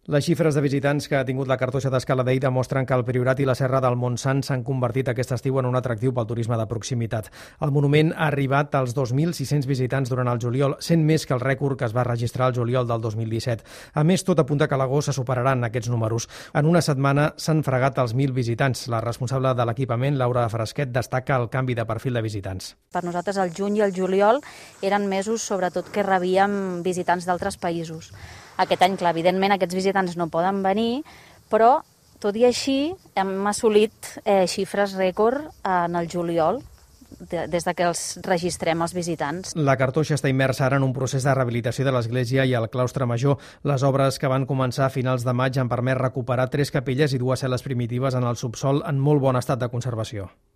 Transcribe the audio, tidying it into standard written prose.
Les xifres de visitants que ha tingut la Cartoixa d'Escala Dei demostren que el Priorat i la Serra del Montsant s'han convertit aquest estiu en un atractiu pel turisme de proximitat. El monument ha arribat als 2.600 visitants durant el juliol, sent més que el rècord que es va registrar el juliol del 2017. A més, tot apunta que a l'agost se superaran aquests números. En una setmana s'han fregat els 1.000 visitants. La responsable de l'equipament, Laura Fresquet, destaca el canvi de perfil de visitants. Per nosaltres el juny i el juliol eren mesos sobretot que rebíem visitants d'altres països. Aquest any, clar, evidentment aquests visitants no poden venir, però tot i així hem assolit xifres rècord en el juliol, des que els registrem els visitants. La Cartoixa està immersa ara en un procés de rehabilitació de l'església i el claustre major. Les obres que van començar a finals de maig han permès recuperar 3 capelles i 2 cel·les primitives en el subsòl en molt bon estat de conservació.